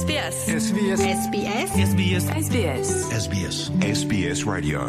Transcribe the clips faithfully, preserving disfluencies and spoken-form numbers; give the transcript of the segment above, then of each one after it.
би ес. Ес Би Ес. Ес Би Ес. Ес Би Ес. Ес Би Ес. Ес Би Ес. Ес Би Ес Radio.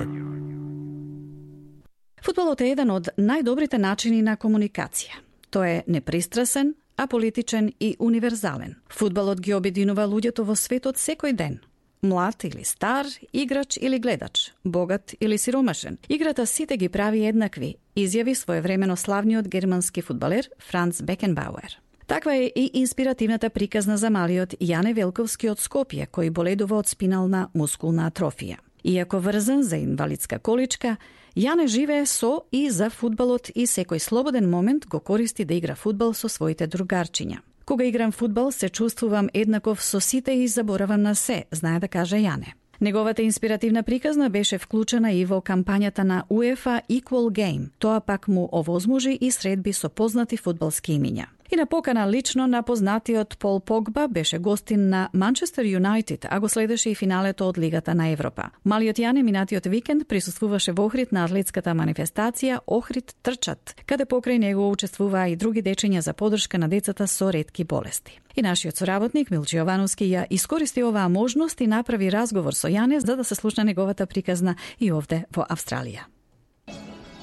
Фудбалот е еден од најдобрите начини на комуникација. Тој е непристрасен, аполитичен и универзален. Фудбалот ги обединува луѓето во светот секој ден. Млад или стар, играч или гледач, богат или сиромашен. Играта сите ги прави еднакви, изјави своевремено славниот германски фудбалер Франц Бекенбауер. Таква е и инспиративната приказна за малиот Јане Велковски од Скопје, кој боледува од спинална мускулна атрофија. Иако врзан за инвалидска количка, Јане живее со и за фудбалот и секој слободен момент го користи да игра фудбал со своите другарчиња. Кога играм фудбал, се чувствувам еднаков со сите и заборавам на се, знае да каже Јане. Неговата инспиративна приказна беше вклучена и во кампањата на UEFA Equal Game. Тоа пак му овозможи и средби со познати фудбалски имиња. И на покана лично на познатиот Пол Погба беше гостин на Манчестер Юнајтед, а го следеше и финалето од Лигата на Европа. Малиот Јане минатиот викенд присуствуваше во Охрид на атлетската манифестација Охрид трчат, каде покрај него учествуваа и други дечиња за подршка на децата со ретки болести. И нашиот соработник Милче Јовановски ја искористи оваа можност и направи разговор со Јане за да се слушна неговата приказна и овде во Австралија.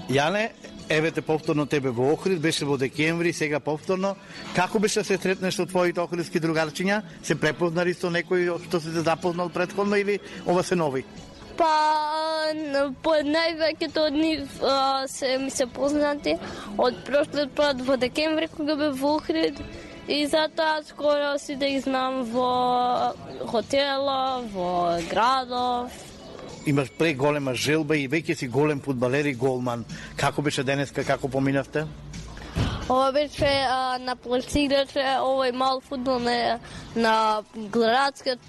Јане, еве те повторно тебе во Охрид, беше во декември, сега повторно. Како беше да се сретнеш со твоите охридски другарчиња? Се препознари со некој што се запознал претходно или ова се нови? Па, по највеќето од нив а, се ми се познати од прошлиот пат во декември кога бев во Охрид и затоа скоро си да ги знам во хотела, во градов. Имаш преголема желба и веќе си голем фудбалер и голман. Како беше денеска, како поминавте? Ова беше а, на пласираше овој мал фудбал на, на градскиот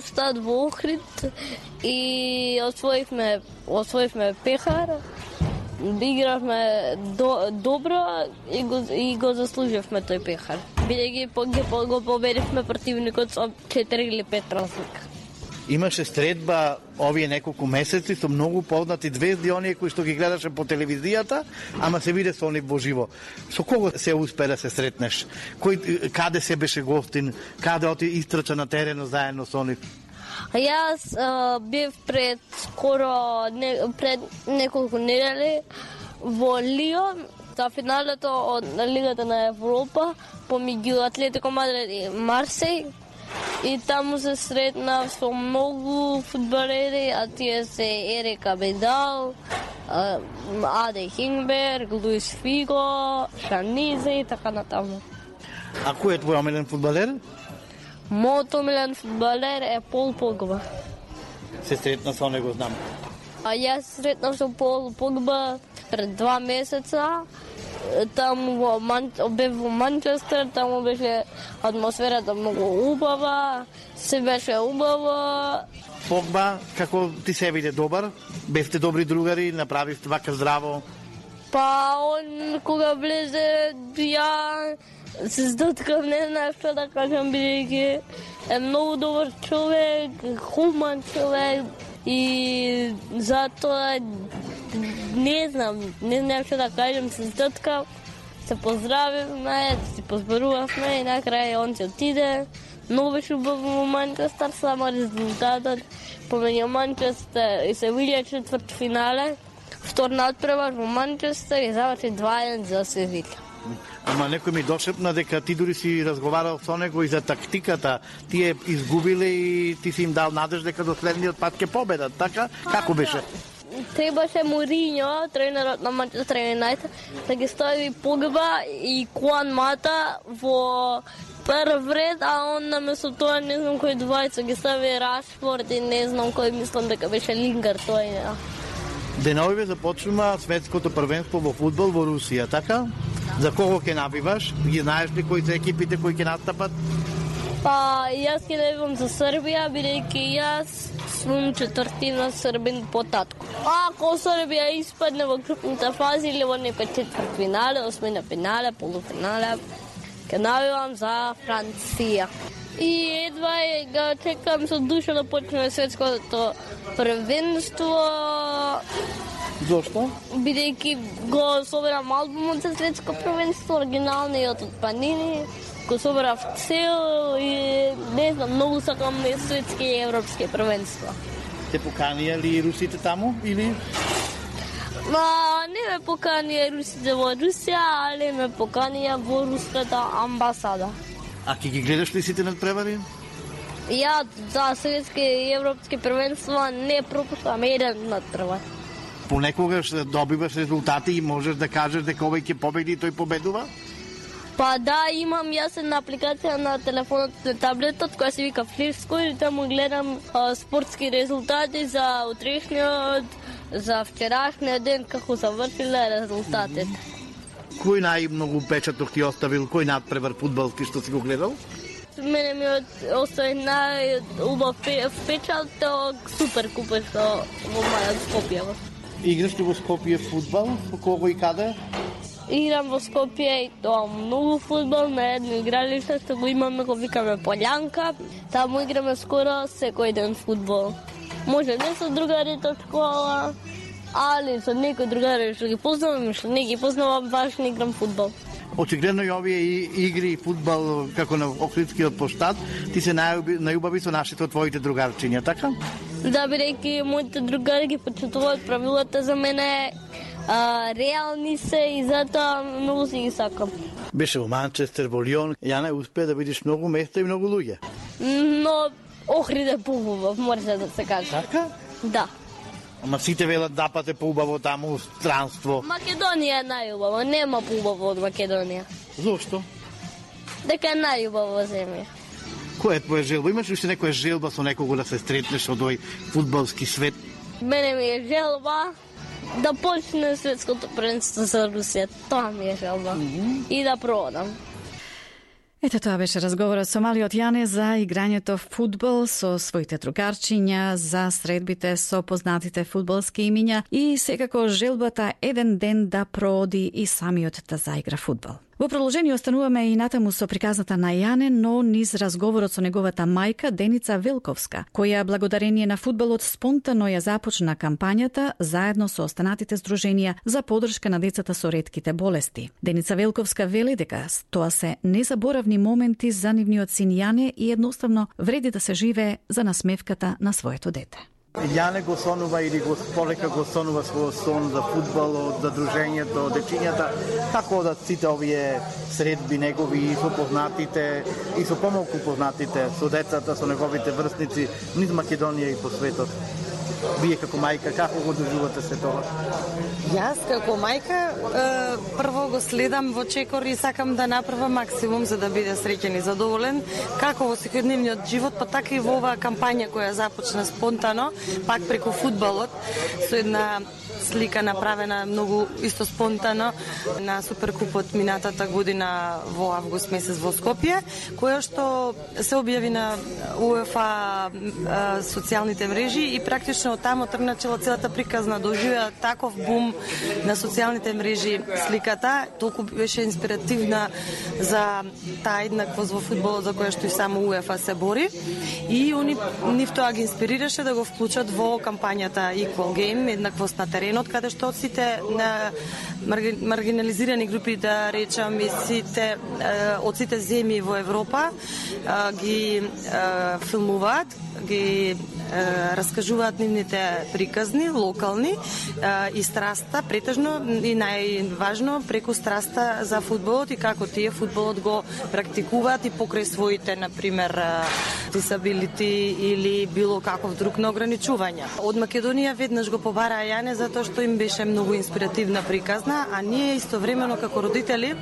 стад во Охрид и освоивме, освоивме пехар. Игравме до, добро и го, и го заслуживме тој пехар. Бидејќи го, го победивме противникот со четири или пет разлика. Имаше средба овие неколку месеци со многу познати звезди, оние кои што ги гледаше по телевизијата, ама се виде со они во живо. Со кого се успе да се сретнеш? Кој, каде се беше гостин? Каде оти истрча на терено заедно со они? Јас а, бев пред скоро не, пред неколку недели во Лион за финалето од Лигата на Европа помеѓу Атлетико Мадрид и Марсеј. И таму се сретнав со многу фудбалери, а тие се Ерик Абидал, Аде Хингберг, Луис Фиго, Шанизе и така натаму. А кој е твој омилен фудбалер? Мојот омилен фудбалер е Пол Погба. Се сретна со него, знам. А јас сретнав со Пол Погба пред два месеца. Таму во Ман... бев во Манчестер, таму беше атмосферата многу убава, се беше убаво. Погба, како ти се виде добар? Бевте добри другари, направивте вака здраво? Па, он кога влезе, ја се здоткав, не знаев што да кажам, бидејќи е многу добар човек, хуман човек и затоа не знам, не знам што да кажам, се здоткав, се поздравивме, се позборувавме и накрај он се отиде. Многу беше убаво во Манчестер, само резултатот помеѓу Манчестер и се видја четврт финале. Втор надпревар во Манчестер и заврши два еден за Севиља. Ама некој ми дошепна дека ти дури си разговарал со него и за тактиката. Тие изгубиле и ти си им дал надеж дека до следниот пат ќе победат, така? Како беше? Требаше Мориньо, тренерот на Манчестер Юнајтед, да ги стави Погба и Куан Мата во прв ред, а он наместо тоа не знам кој двајца ги стави Рашфорд и не знам кој, мислам дека беше Лингар, тој не. Деновиве започнува светското првенство во фудбал во Русија, така? За кого ќе набиваш? Ги знаеш ли кои се екипите кои ќе настапат? Па, јас ќе навивам за Србија, бидејќи јас сум четвртина србин по татко. Ако Србија испадне во групната фаза или во некој четвртфинале, осмина финале, полуфинале, ќе навивам за Франција. И едва е, го чекам со душа да почне светското првенство. Зошто? Бидејќи го собирам албумот за светско првенство, оригиналниот од Панини. го собрав цел и не знам, многу сакам светски и европски првенства. Те поканија ли русите таму или? Ма, не ме поканија русите во Русија, али ме поканија во руската амбасада. А ки ги гледаш ли сите надпревари? Ја за светски и европски првенства не пропуштам еден надпревар. Понекогаш добиваш резултати и можеш да кажеш дека овој ќе победи и тој победува? Па да, имам јас една апликација на телефонот на таблетот која се вика Flipscore и таму гледам а, спортски резултати за утрешниот, за вчерашниот ден како завршиле резултатите. Кој најмногу печаток ти оставил, кој надпревар фудбалски што си го гледал? Мене ми остави најубав впечаток Суперкупа што во мајот Скопје. Играш ли во Скопје фудбал? По кого и каде? Играм во Скопје и тоа многу фудбал на едно игралиште што го имаме, го викаме Полјанка. Таму играме скоро секој ден фудбал. Може не со другарите од школа, али со некои другари што ги познавам, што не ги познавам, баш не играм фудбал. Очигледно и овие игри и фудбал како на Охридскиот площад, ти се најубави со нашите од твоите другарчиња, така? Да, бидејќи моите другари ги почитуваат правилата за мене, а, реални се и затоа многу си ги сакам. Беше во Манчестер, во Лион, Јане, успеа да видиш многу места и многу луѓе. Но Охрид е поубав, може да се каже. Така? Да. Ама сите велат да пате поубаво таму странство. Македонија е најубава, нема поубаво од Македонија. Зошто? Дека е најубава земја. Која е твоја желба? Имаш ли уште некоја желба со некого да се стретнеш од овој фудбалски свет? Мене ми е желба да почне светското првенство за Русија. Тоа ми е желба. Mm-hmm. И да продам. Ето тоа беше разговорот со малиот Јане за играњето фудбал со своите другарчиња, за средбите со познатите фудбалски имиња и секако желбата еден ден да прооди и самиот да заигра фудбал. Во продолжение остануваме и натаму со приказната на Јане, но низ разговорот со неговата мајка Деница Велковска, која благодарение на фудбалот спонтано ја започна кампањата заедно со останатите здруженија за поддршка на децата со ретките болести. Деница Велковска вели дека тоа се незаборавни моменти за нивниот син Јане и едноставно вреди да се живее за насмевката на своето дете. Јане го сонува или го полека го сонува својот сон за фудбалот, за дружењето, дечињата, како одат сите овие средби негови и со познатите и со помалку познатите, со децата, со неговите врсници низ Македонија и по светот. Вие како мајка, како го доживувате се тоа? Јас како мајка прво го следам во чекор и сакам да направам максимум за да биде среќен и задоволен, како во секојдневниот живот, па така и во оваа кампања која започна спонтано, пак преку фудбалот, со една слика направена многу исто спонтано на Суперкупот минатата година во август месец во Скопје, која што се објави на УЕФА социјалните мрежи и практично од таму тргначела целата приказна, доживеа таков бум на социјалните мрежи сликата, толку беше инспиративна за таа еднаквост во фудбалот за која што и само УЕФА се бори и они нив тоа ги инспирираше да го вклучат во кампањата Equal Game, еднаквост на теренот, каде што сите на маргинализирани групи, да речам, и сите од сите земји во Европа ги филмуваат, ги раскажуваат нивните приказни, локални и страста, претежно и најважно преку страста за фудбалот и како тие фудбалот го практикуваат и покрај своите, например, disability или било каков друг на ограничувања. Од Македонија веднаш го побараа Јане затоа што им беше многу инспиративна приказна, а ние истовремено како родители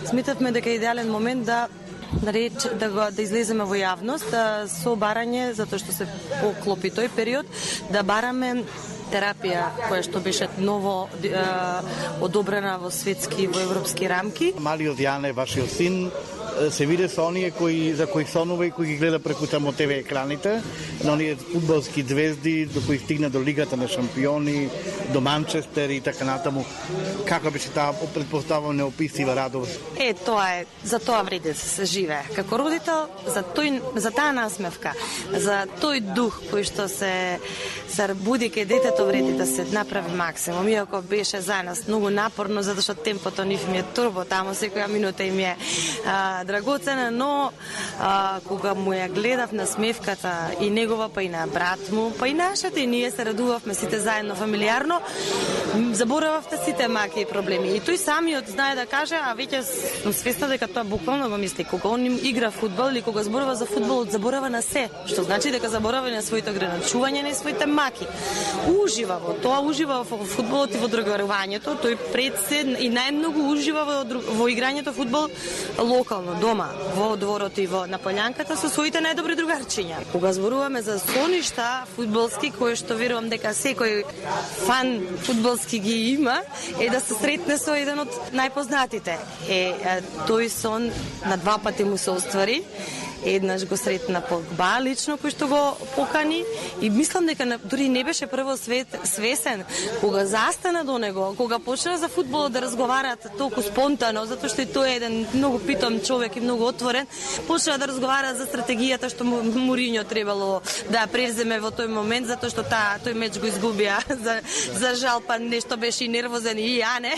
сметавме дека е идеален момент да да, реч, да, го, да излеземе во јавност да, со барање, затоа што се поклопи тој период, да бараме терапија која што беше ново е, одобрена во светски, во европски рамки. Малиот Јане, вашиот син, се виде со оние кои за кои сонува и кои ги гледа преку тамо ТВ екраните, на оние фудбалски звезди до кои стигна до Лигата на шампиони, до Манчестер и така натаму. Како беше таа претпоставувам неописива радост? Е, тоа е, за тоа вреди да се живее. Како родител, за тој, за таа насмевка, за тој дух кој што се се буди кај детето вреди да се направи максимум, иако беше за нас многу напорно, затоа што темпото нив ми е турбо, таму секоја минута им е а, драгоцена, но а, кога му ја гледав на смевката и негова, па и на брат му, па и нашата, и ние се радувавме сите заедно фамилиарно, заборававте сите маки и проблеми. И тој самиот знае да каже, а веќе сум свесна дека тоа буквално го мисли. Кога он игра фудбал или кога зборува за фудбал, заборава на се, што значи дека заборава на своите ограничувања, на своите маки. Ужива во тоа, ужива во фудбалот и во другарувањето, тој пред се и најмногу ужива во, во играњето фудбал локално, дома, во дворот и во на полјанката со своите најдобри другарчиња. Кога зборуваме за соништа фудбалски, кои што верувам дека секој фан фудбалски ги има, е да се сретне со еден од најпознатите. Е, тој сон на два пати му се оствари. Еднаш го сретна Погба лично, кој што го покани, и мислам дека дури не беше прво свет, свесен кога застана до него, кога почна за фудбалот да разговарат толку спонтано, затоа што и тој е еден многу питом човек и многу отворен, почна да разговара за стратегијата што Мориньо требало да преземе во тој момент, затоа што та, тој меч го изгубија. За, за жал, па нешто беше и нервозен, и ја не.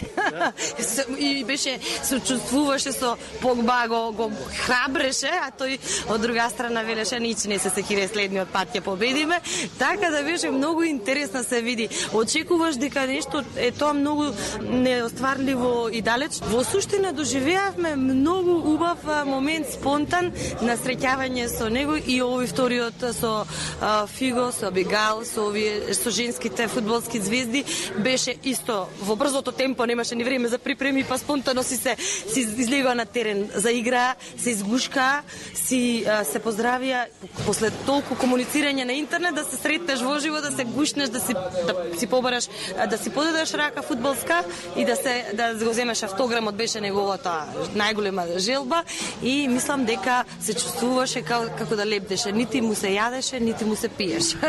И беше, се чувствуваше со Погба, го, го храбреше, а тој од друга страна велеше нич не се секире следниот пат ќе победиме, така да беше многу интересно се види. Очекуваш дека нешто е тоа многу неостварливо и далеч. Во суштина доживеавме многу убав момент спонтан на среќавање со него и овој вториот со а, Фиго, со Бигал, со овие со женските фудбалски звезди беше исто во брзото темпо, немаше ни време за припреми, па спонтано си се си излегува на терен за игра, се изгушка, си се поздравија после толку комуницирање на интернет, да се сретнеш во живо, да се гушнеш, да си да си побараш, да си подадеш рака фудбалска и да се да го земеш автограмот, беше неговата најголема желба, и мислам дека се чувствуваше како, како да лепдеше, нити му се јадеше, нити му се пиеше.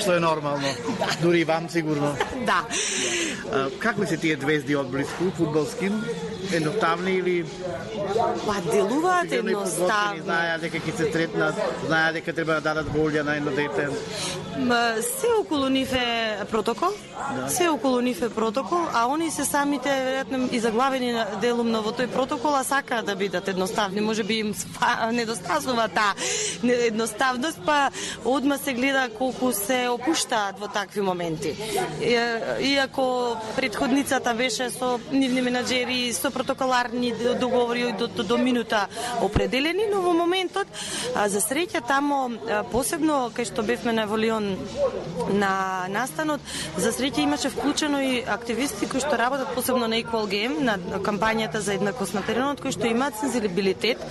Што е нормално. Дури и вам сигурно. Да. А, какви се тие звезди од близко фудбалски? Едноставни или па делуваат едноставни? Знаеа дека ќе се сретнат, знаеа дека треба да дадат голја на едно дете. Се околу нив е протокол, да. Се околу нив е протокол, а они се самите веројатно и заглавени делумно во тој протокол, а сакаат да бидат едноставни. Можеби им недостасува таа едноставност, па одма се гледа колку се опуштаат во такви моменти. Иако претходницата беше со нивни менаџери, со протоколарни договори до, до, до минута определени, но во моментот, а, за среќа тамо, а, посебно кај што бевме на Волион на настанот, за среќа имаше вклучено и активисти кои што работат посебно на Equal Game, на кампањата за еднаквост на теренот, кои што имаат сензибилитет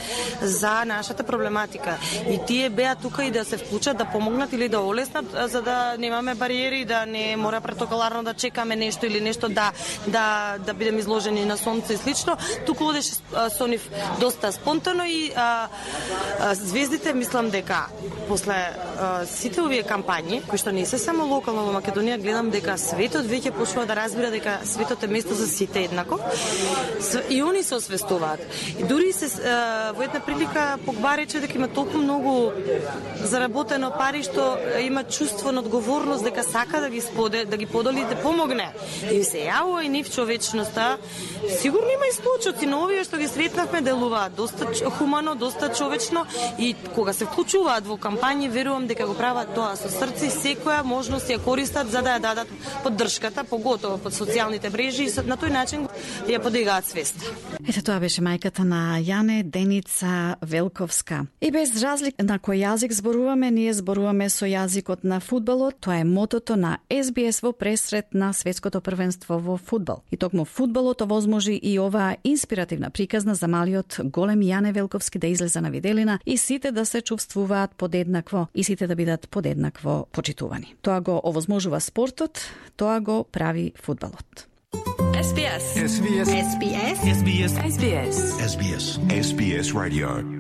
за нашата проблематика. И тие беа тука и да се вклучат, да помогнат или да олеснат, за да немаме бариери, да не мора протоколарно да чекаме нешто или нешто да да да бидеме изложени на сонце и слично. Туку одеше со нив доста спонтано и а, а, звездите, мислам дека после а, сите овие кампањи, кои што не се само локално во Македонија, гледам дека светот веќе почнува да разбира дека светот е место за сите еднаков. И они се освестуваат. И дури се а, во една прилика Погба рече дека има толку многу заработено пари што има чувство на одговорност дека сака да ги споде, да ги подели и да помогне. И се јавува и нив човечноста. Сигурно има и случаи, но овие што ги сретнавме делуваат доста хумано, доста човечно, и кога се вклучуваат во кампањи, верувам дека го прават тоа со срце, секоја можност ја користат за да ја дадат поддршката, поготово под социјалните мрежи, и на тој начин ја подигаат свест. Ете, тоа беше мајката на Јане, Деница Велковска. И без разлика на кој јазик зборуваме, ние зборуваме со јазикот на фудбалот. Тоа е мотото на Ес Би Ес во пресрет на светското првенство во фудбал. И токму фудбалот овозможи и оваа инспиративна приказна за малиот голем Јане Велковски да излезе на виделина и сите да се чувствуваат подеднакво и сите да бидат подеднакво почитувани. Тоа го овозможува спортот, тоа го прави фудбалот. Ес Би Ес. Ес Би Ес. Ес Би Ес. Ес Би Ес. Ес Би Ес. Ес Би Ес Radio.